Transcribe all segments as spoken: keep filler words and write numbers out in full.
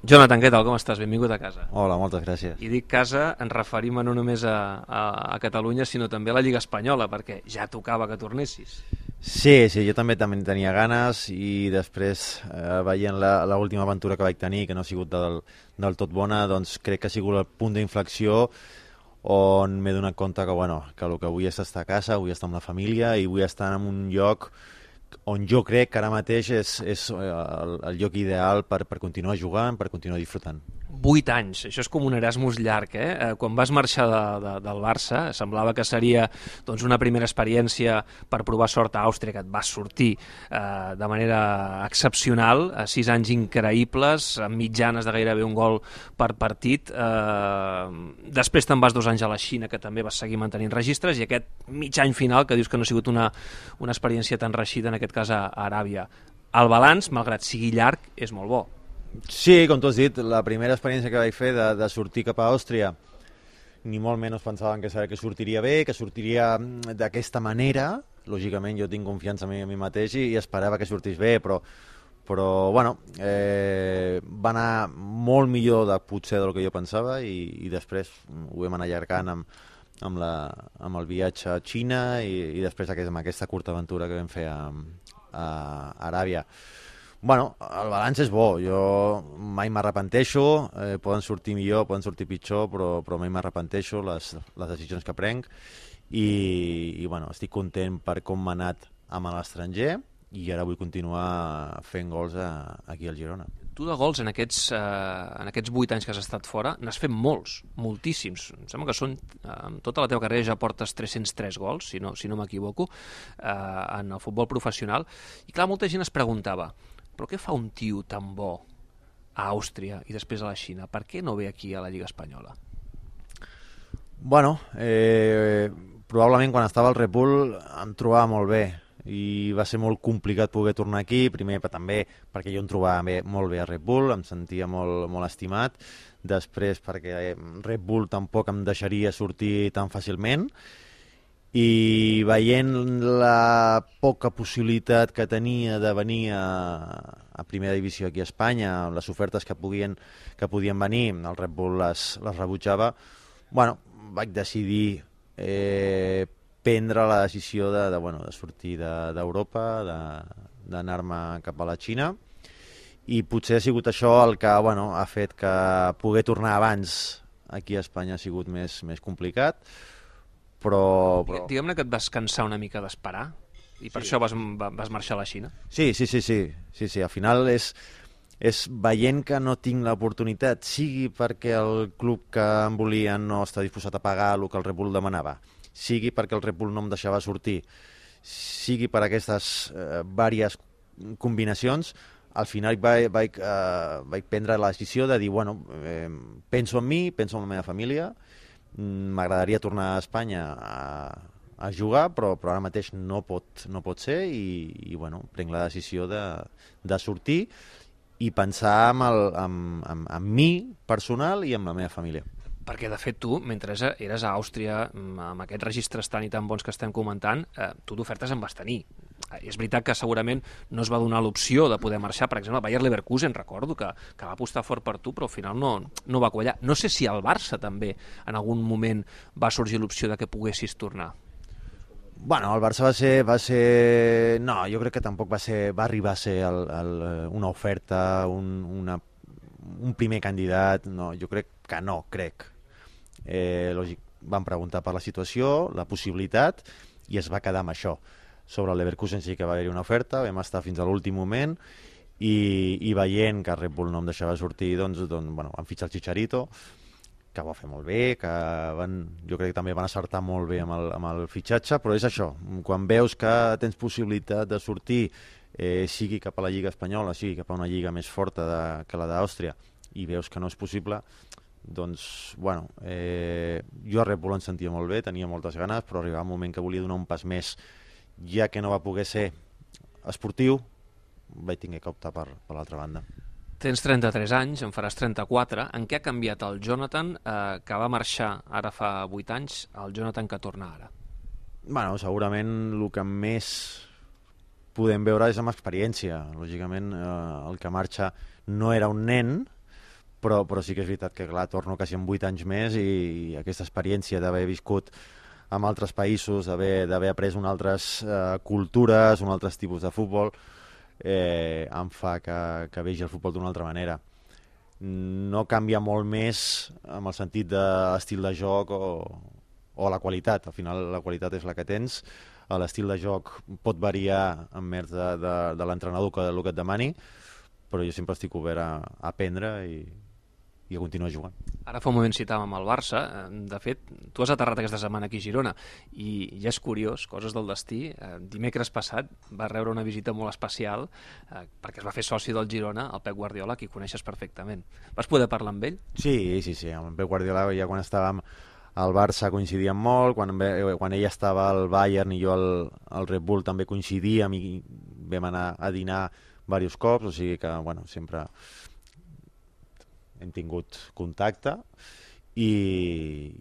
Jonathan, què tal? Com estàs? Benvingut a casa. Hola, moltes gràcies. I dic casa, ens referim no només a, a, a Catalunya, sinó també a la Lliga Espanyola, perquè ja tocava que tornessis. Sí, sí, jo també també en tenia ganes i després, eh, veient l'última aventura que vaig tenir, que no ha sigut del, del tot bona, doncs crec que ha sigut el punt d'inflexió on m'he donat compte que, bueno, que el que vull és estar a casa, vull estar amb la família i vull estar en un lloc on jo crec que ara mateix és, és el, el lloc ideal per, per continuar jugant, per continuar disfrutant. Vuit anys, això és com un Erasmus llarg, eh? Quan vas marxar de, de, del Barça, semblava que seria doncs, una primera experiència per provar sort a Àustria, que et vas sortir eh, de manera excepcional, a sis anys increïbles, amb mitjanes de gairebé un gol per partit. Eh, després te'n vas dos anys a la Xina, que també vas seguir mantenint registres, i aquest mig any final, que dius que no ha sigut una, una experiència tan reeixida, en aquest cas a, a Aràbia. El balanç, malgrat sigui llarg, és molt bo. Sí, com tu has dit, la primera experiència que vaig fer de, de sortir cap a Àustria, ni molt menys pensaven que, que sortiria bé, que sortiria d'aquesta manera. Lògicament jo tinc confiança en mi, en mi mateix i, i esperava que sortís bé, però, però bueno, eh, va anar molt millor de, potser del que jo pensava i, i després ho vam anar allargant amb, amb, la, amb el viatge a Xina i, i després aquest, amb aquesta curta aventura que vam fer a, a Aràbia. Bueno, el balanç és bo, jo mai m'arrepenteixo, eh, poden sortir millor, poden sortir pitjor, però, però mai m'arrepenteixo les, les decisions que prenc i, i bueno, estic content per com m'ha anat amb l'estranger i ara vull continuar fent gols a, aquí al Girona. Tu de gols en aquests, eh, en aquests vuit anys que has estat fora n'has fet molts, moltíssims. Em sembla que són, eh, amb tota la teva carrera ja portes tres-cents tres gols, si no, si no m'equivoco, eh, en el futbol professional. I clar, molta gent es preguntava, però què fa un tio tan bo a Àustria i després a la Xina? Per què no ve aquí a la Lliga Espanyola? Bueno, eh, probablement quan estava al Red Bull em trobava molt bé i va ser molt complicat poder tornar aquí, primer però també perquè jo em trobava bé, molt bé a Red Bull, em sentia molt, molt estimat, després perquè Red Bull tampoc em deixaria sortir tan fàcilment i veient la poca possibilitat que tenia de venir a, a primera divisió aquí a Espanya, les ofertes que podien, que podien venir, el Red Bull les, les rebutjava, bueno, vaig decidir eh, prendre la decisió de, de, bueno, de sortir d'Europa, de, d'anar-me cap a la Xina, i potser ha sigut això el que bueno, ha fet que poder tornar abans aquí a Espanya ha sigut més, més complicat, però... però... Diguem-ne que et vas cansar una mica d'esperar i per sí. això vas, vas marxar a la Xina. Sí, sí, sí, sí, sí, sí. Al final és, és veient que no tinc l'oportunitat, sigui perquè el club que em volia no està disposat a pagar el que el Red Bull demanava, sigui perquè el Red Bull no em deixava sortir, sigui per aquestes eh, diverses combinacions, al final vaig, vaig, eh, vaig prendre la decisió de dir, bueno, eh, penso en mi, penso en la meva família, m'agradaria tornar a Espanya a, a jugar, però, però ara mateix no pot, no pot ser i, i bueno, prenc la decisió de, de sortir i pensar en, el, en, en, en mi personal i en la meva família. Perquè, de fet, tu, mentre eres a Àustria, amb aquests registres tan i tan bons que estem comentant, eh, tu d'ofertes en vas tenir. És veritat que segurament no es va donar l'opció de poder marxar. Per exemple, el Bayer Leverkusen, recordo, que, que va apostar fort per tu, però al final no, no va quallar. No sé si al Barça també en algun moment va sorgir l'opció de que poguessis tornar. Bueno, el Barça va ser, va ser... No, jo crec que tampoc va ser, va arribar a ser el, el, una oferta, un, una, un primer candidat. No, jo crec que no, crec. Eh, lògic, van preguntar per la situació, la possibilitat, i es va quedar amb això. Sobre el Leverkusen sí que va haver-hi una oferta, vam estar fins a l'últim moment, i, i veient que Red Bull no em deixava sortir, doncs, doncs bueno, van fitxar el Chicharito, que va fer molt bé, que van, jo crec que també van acertar molt bé amb el, amb el fitxatge, però és això, quan veus que tens possibilitat de sortir, eh, sigui cap a la Lliga Espanyola, sigui cap a una lliga més forta de, que la d'Àustria, i veus que no és possible, doncs, bueno, eh, jo a Red Bull em sentia molt bé, tenia moltes ganes, però arribava un moment que volia donar un pas més, ja que no va poder ser esportiu, vaig tenir que optar per, per l'altra banda. Tens trenta-tres anys, en faràs trenta-quatre. En què ha canviat el Jonathan, eh, que va marxar ara fa vuit anys, el Jonathan que torna ara? Bueno, segurament el que més podem veure és amb experiència. Lògicament, eh, el que marxa no era un nen, però, però sí que és veritat que, clar, torno quasi amb vuit anys més i, i aquesta experiència d'haver viscut en altres països, d'haver après unes altres eh, cultures, uns altres tipus de futbol, eh, em fa que, que vegi el futbol d'una altra manera. No canvia molt més amb el sentit d'estil de joc o, o la qualitat. Al final la qualitat és la que tens, l'estil de joc pot variar envers de, de, de l'entrenador que el que et demani, però jo sempre estic obert a, a aprendre i, i a continuar jugant. Ara fa un moment citàvem el Barça. De fet, tu has aterrat aquesta setmana aquí a Girona i ja és curiós, coses del destí. Dimecres passat va rebre una visita molt especial eh, perquè es va fer soci del Girona, el Pep Guardiola, qui coneixes perfectament. Vas poder parlar amb ell? Sí, sí, sí. Amb el Pep Guardiola ja quan estàvem al Barça coincidíem molt, quan, quan ell estava al Bayern i jo al, al Red Bull també coincidíem i vam anar a dinar diversos cops, o sigui que, bueno, sempre hem tingut contacte i,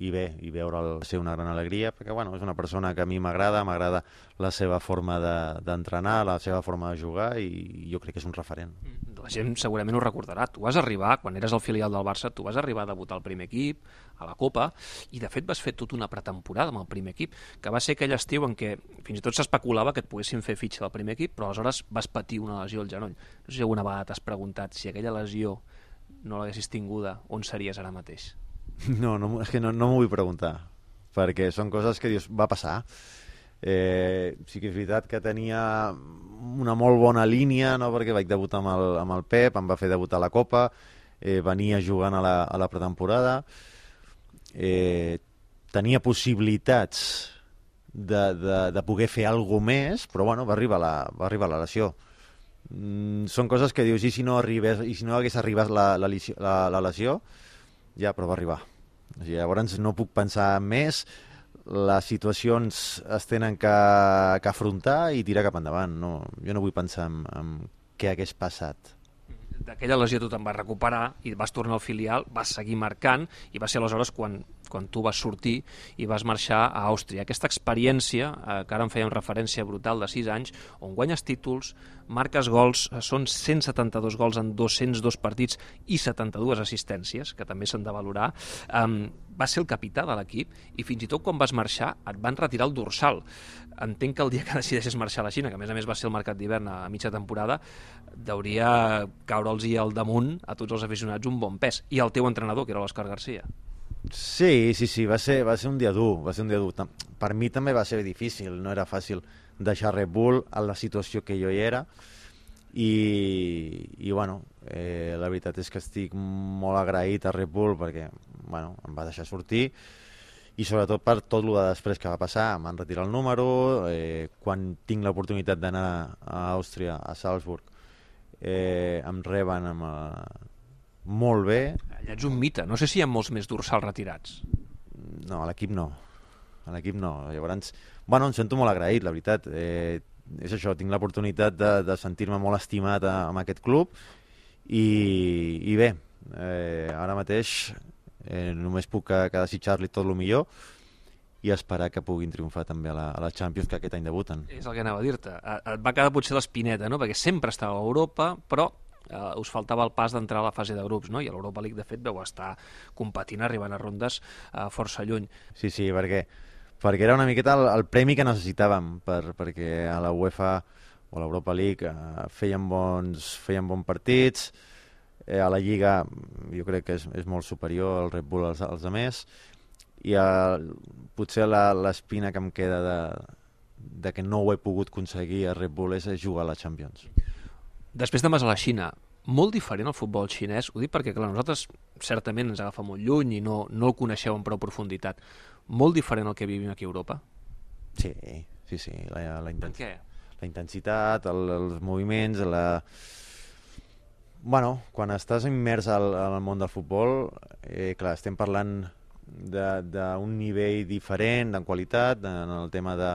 i bé, i veure'l ser una gran alegria, perquè, bueno, és una persona que a mi m'agrada, m'agrada la seva forma d'entrenar, de, la seva forma de jugar i jo crec que és un referent. La gent segurament ho recordarà. Tu vas arribar, quan eres el filial del Barça, tu vas arribar a debutar al primer equip, a la Copa, i de fet vas fer tota una pretemporada amb el primer equip, que va ser aquell estiu en què fins i tot s'especulava que et poguessin fer fitxa del primer equip, però aleshores vas patir una lesió al genoll. No sé si alguna vegada t'has preguntat si aquella lesió no l'haguessis tinguda, on series ara mateix? No, no, és que no, no m'ho vull preguntar, perquè són coses que dius, va passar. Eh, sí que és veritat que tenia una molt bona línia, no? Perquè vaig debutar amb el, amb el Pep, em va fer debutar a la Copa, eh, venia jugant a la, a la pretemporada, eh, tenia possibilitats de, de, de poder fer alguna més, però bueno, va arribar la, va arribar la lesió. Mm, són coses que dius, i si no, arribés, i si no hagués arribat la, la, la, la lesió, ja, però va arribar. O sigui, llavors no puc pensar més, les situacions es tenen que, que afrontar i tirar cap endavant. No, jo no vull pensar en, en què hagués passat. D'aquella lesió tu te'n vas recuperar i vas tornar al filial, vas seguir marcant i va ser aleshores quan, quan tu vas sortir i vas marxar a Àustria. Aquesta experiència, eh, que ara en fèiem referència brutal de sis anys, on guanyes títols, marques gols, són cent setanta-dos gols en dos-cents dos partits i setanta-dues assistències, que també s'han de valorar. Um, va ser el capità de l'equip i fins i tot quan vas marxar et van retirar el dorsal. Entenc que el dia que decideixes marxar a la Xina, que a més a més va ser el mercat d'hivern a mitja temporada, hauria caure'ls al damunt a tots els aficionats un bon pes. I el teu entrenador, que era l'Òscar Garcia. Sí, sí, sí, va ser, va ser un dia dur, va ser un dia dur. Per mi també va ser difícil, no era fàcil deixar Red Bull a la situació que jo hi era i, i bueno, eh, la veritat és que estic molt agraït a Red Bull perquè, bueno, em va deixar sortir i sobretot per tot el de després que va passar. M'han retirat el número, eh, quan tinc l'oportunitat d'anar a Àustria, a Salzburg, eh, em reben amb, eh, molt bé. Allà ets un mite, no sé si hi ha molts més dorsals retirats. No, a l'equip no, a l'equip no. Llavors, bueno, em sento molt agraït, la veritat. Eh, és això, tinc l'oportunitat de, de sentir-me molt estimat a, amb aquest club i, i bé, eh, ara mateix eh, només puc que, que desitjar-li tot el millor i esperar que puguin triomfar també a la, a la Champions, que aquest any debuten. És el que anava a dir-te. Et va quedar potser l'espineta, no? Perquè sempre estava a Europa, però Uh, us faltava el pas d'entrar a la fase de grups, no? I a l'Europa League, de fet, vau estar competint, arribant a rondes uh, força lluny. Sí, sí, perquè, perquè era una miqueta el, el premi que necessitàvem, per, perquè a la UEFA o a l'Europa League uh, feien, bons, feien bons partits, eh, a la Lliga jo crec que és, és molt superior al Red Bull als, als altres, i uh, potser l'espina que em queda de, de que no ho he pogut aconseguir a Red Bull és jugar a la Champions. Després de vas a la Xina, molt diferent el futbol xinès, ho dic perquè clar, nosaltres certament ens agafa molt lluny i no, no el coneixeu en prou profunditat. Molt diferent el que vivim aquí a Europa? Sí, sí, sí. La, la, intens què? La intensitat, el, els moviments, la... Bueno, quan estàs immers al, al món del futbol, eh, clar, estem parlant d'un nivell diferent, en qualitat, en el tema de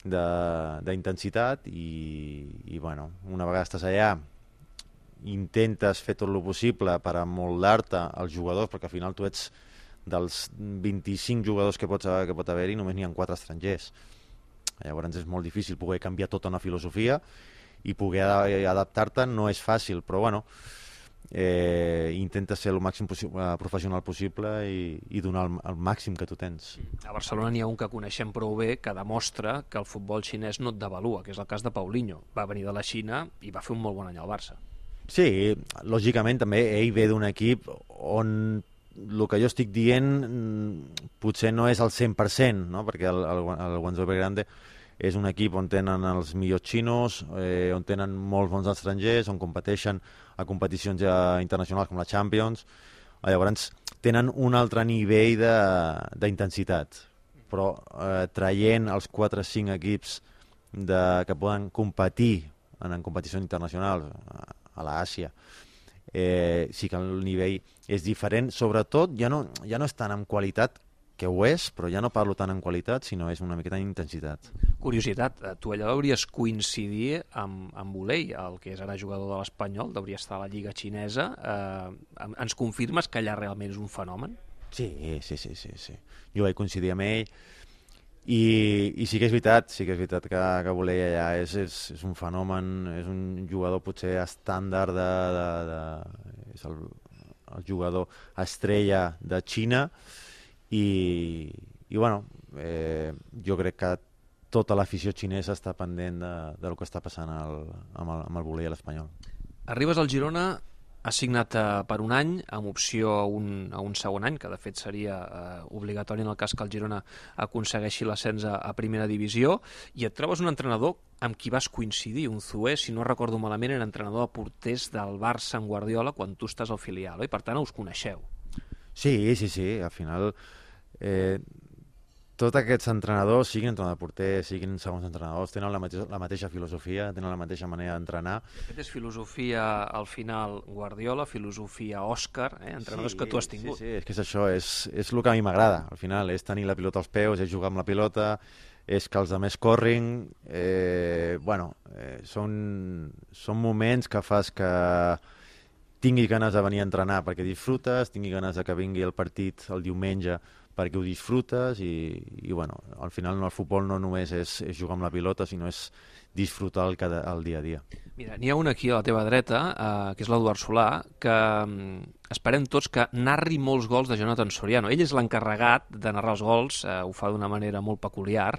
d'intensitat i, i bueno, una vegada estàs allà intentes fer tot el possible per amoldar-te als jugadors, perquè al final tu ets dels vint-i-cinc jugadors que, pots, que pot haver-hi, només n'hi ha quatre estrangers. Llavors és molt difícil poder canviar tota una filosofia i poder adaptar-te no és fàcil, però bueno, eh, intenta ser el màxim possi professional possible i, i donar el, el màxim que tu tens. A Barcelona n'hi ha un que coneixem prou bé que demostra que el futbol xinès no et devalua, que és el cas de Paulinho. Va venir de la Xina i va fer un molt bon any al Barça. Sí, lògicament també ell ve d'un equip on el que jo estic dient potser no és al cent per cent, no? Perquè el, el, el Guangzhou Evergrande és un equip on tenen els millors xinos, eh, on tenen molts bons estrangers, on competeixen a competicions ja internacionals com la Champions. Llavors tenen un altre nivell d'intensitat, però eh, traient els quatre o cinc equips de, que poden competir en, en competicions internacionals a, a l'Àsia, eh, sí que el nivell és diferent. Sobretot ja no, ja no és tant en qualitat, que ho és, però ja no parlo tant en qualitat, sinó és una miqueta en intensitat. Curiositat, tu allà hauries coincidir amb, amb Volei, el que és ara jugador de l'Espanyol, hauria estar a la Lliga Xinesa. Eh, ens confirmes que allà realment és un fenomen? Sí, sí, sí, sí, sí. Jo vaig coincidir amb ell i, i sí que és veritat, sí que és veritat que, que Volei allà és, és, és un fenomen, és un jugador potser estàndard de... de, de és el, el jugador estrella de Xina. I, i bueno, eh, jo crec que tota l'afició xinesa està pendent de, del que està passant al, amb, el, amb el volei a l'Espanyol. Arribes al Girona, has signat eh, per un any, amb opció a un, a un segon any, que de fet seria eh, obligatori en el cas que el Girona aconsegueixi l'ascens a, a primera divisió, i et trobes un entrenador amb qui vas coincidir, un Zoué, si no recordo malament, era entrenador de porters del Barça en Guardiola quan tu estàs al filial, i per tant us coneixeu. Sí, sí, sí, al final eh, tots aquests entrenadors, siguin entrenadors de porter, siguin segons entrenadors, tenen la mateixa, la mateixa filosofia, tenen la mateixa manera d'entrenar. Aquest és filosofia, al final, Guardiola, filosofia Òscar, eh? entrenadors sí, que tu has tingut. Sí, sí, és que és això, és, és el que a mi m'agrada, al final, és tenir la pilota als peus, és jugar amb la pilota, és que els altres corrin, eh, bueno, eh, són, són moments que fas que tingui ganes de venir a entrenar perquè disfrutes, tingui ganes de que vingui el partit el diumenge perquè ho disfrutes i, i bueno, al final no, el futbol no només és, és jugar amb la pilota, sinó és disfrutar el, cada, el dia a dia. Mira, n'hi ha un aquí a la teva dreta, eh, que és l'Eduard Solà, que eh, esperem tots que narri molts gols de Jonathan Soriano. Ell és l'encarregat de narrar els gols, eh, ho fa d'una manera molt peculiar,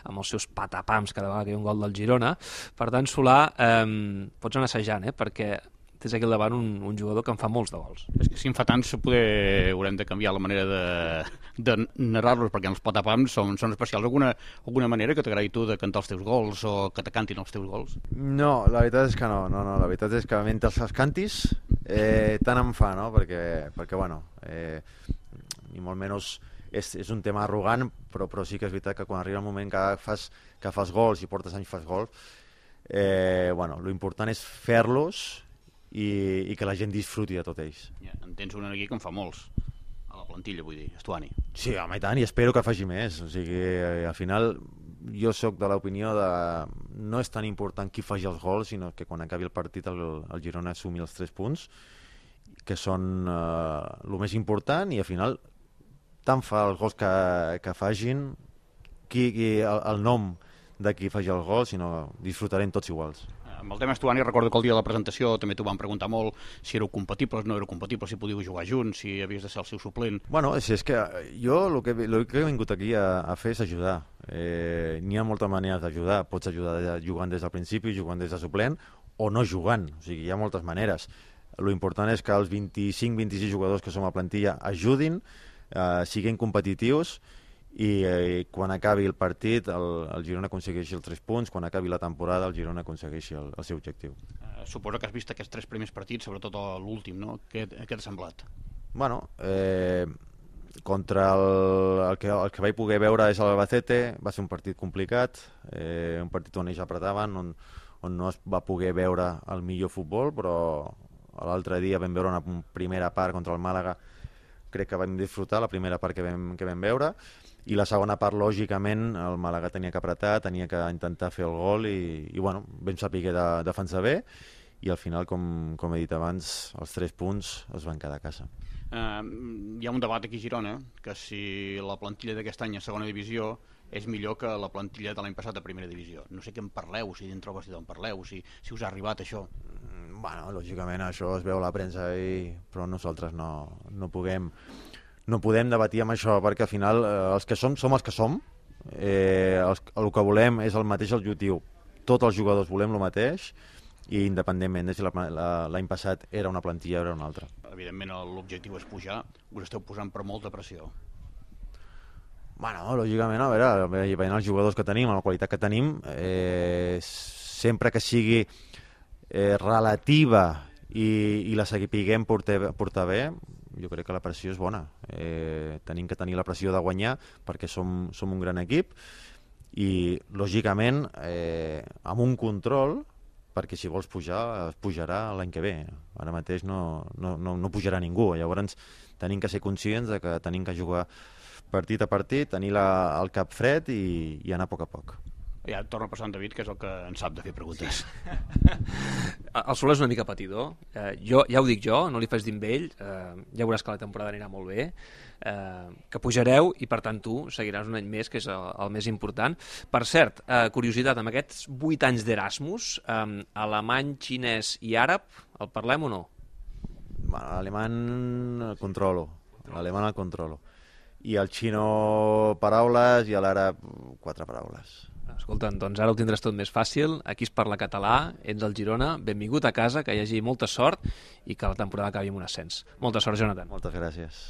amb els seus patapams cada vegada que hi ha un gol del Girona. Per tant, Solà, eh, pots anar assajant, eh, perquè tens aquí al davant un, un jugador que en fa molts de gols. És que si en fa tants poder haurem de canviar la manera de, de narrar-los, perquè els patapams són, són especials. Alguna, alguna manera que t'agradi tu de cantar els teus gols o que te cantin els teus gols? No, la veritat és que no, no, no la veritat és que mentre els cantis eh, tant em fa, no? Perquè, perquè bueno, eh, ni molt menys és, és un tema arrogant, però, però sí que és veritat que quan arriba el moment que fas, que fas gols i portes anys fas gols, eh, bueno, lo important és fer-los I, i que la gent disfruti de tot ells. Ja, en tens un aquí que en fa molts, a la plantilla, vull dir, Estuani. Sí, home, i tant, i espero que faci més. O sigui, eh, al final, jo sóc de l'opinió de no és tan important qui faci els gols, sinó que quan acabi el partit el, el Girona assumi els tres punts, que són eh, el més important, i al final tant fa els gols que, que fagin, qui, qui, el, el nom de qui faci el gol, sinó disfrutarem tots iguals. Amb el tema Estuani, recordo que el dia de la presentació també t'ho van preguntar molt si éreu compatibles, no éreu compatibles, si podíeu jugar junts, si havies de ser el seu suplent. Bueno, si és que jo el que, el que he vingut aquí a, a fer és ajudar. Eh, N'hi ha moltes maneres d'ajudar. Pots ajudar jugant des del principi, jugant des de suplent, o no jugant. O sigui, hi ha moltes maneres. Lo important és que els vint-i-cinc vint-i-sis jugadors que som a plantilla ajudin, eh, siguin competitius, i eh, quan acabi el partit el, el Girona aconsegueixi els tres punts, quan acabi la temporada el Girona aconsegueixi el, el seu objectiu. Uh, suposo que has vist aquests tres primers partits, sobretot l'últim, no? Què, què t'ha semblat? Bueno, eh, contra el, el, que, el que vaig poder veure és l'Albacete, va ser un partit complicat, eh, un partit on ells apretaven, on, on no es va poder veure el millor futbol, però l'altre dia vam veure una primera part contra el Màlaga, crec que vam disfrutar la primera part que vam, que vam veure, i la segona part, lògicament, el Màlaga tenia que apretar, tenia que intentar fer el gol i, i bueno, vam saber de defensar bé i al final, com, com he dit abans, els tres punts es van quedar a casa. Uh, hi ha un debat aquí a Girona que si la plantilla d'aquest any a segona divisió és millor que la plantilla de l'any passat a primera divisió. No sé què en parleu, si dintre vostè en parleu, si, si us ha arribat això. Bueno, lògicament això es veu a la premsa, i... però nosaltres no, no puguem no podem debatir amb això, perquè al final eh, els que som, som els que som, eh, els, el que volem és el mateix objectiu, tots els jugadors volem el mateix, i independentment de si l'any passat era una plantilla o era una altra. Evidentment l'objectiu és pujar, us esteu posant per molta pressió. Bueno, lògicament, a veure, veient els jugadors que tenim, la qualitat que tenim, eh, sempre que sigui eh, relativa i, i la sapiguem portar, portar bé, jo crec que la pressió és bona. Eh, tenim que tenir la pressió de guanyar perquè som, som un gran equip i, lògicament, eh, amb un control, perquè si vols pujar, es pujarà l'any que ve. Ara mateix no, no, no, no pujarà ningú. Llavors tenim que ser conscients de que tenim que jugar partit a partit, tenir la, el cap fred i, i anar a poc a poc. Ja torna a passar en David, que és el que en sap de fer preguntes. El Soler és una mica patidor. Eh, jo, ja ho dic jo, no li faig dir amb ell. Eh, ja veuràs que la temporada anirà molt bé. Eh, que pujareu i, per tant, tu seguiràs un any més, que és el, el més important. Per cert, eh, curiositat, amb aquests vuit anys d'Erasmus, eh, alemany, xinès i àrab, el parlem o no? Bueno, l'alemany el controlo. L'alemany el controlo. I el xino paraules i l'àrab quatre paraules. Escolta, doncs ara ho tindràs tot més fàcil. Aquí es parla català, ets al Girona, benvingut a casa, que hi hagi molta sort i que la temporada acabi amb un ascens. Molta sort, Jonathan. Moltes gràcies.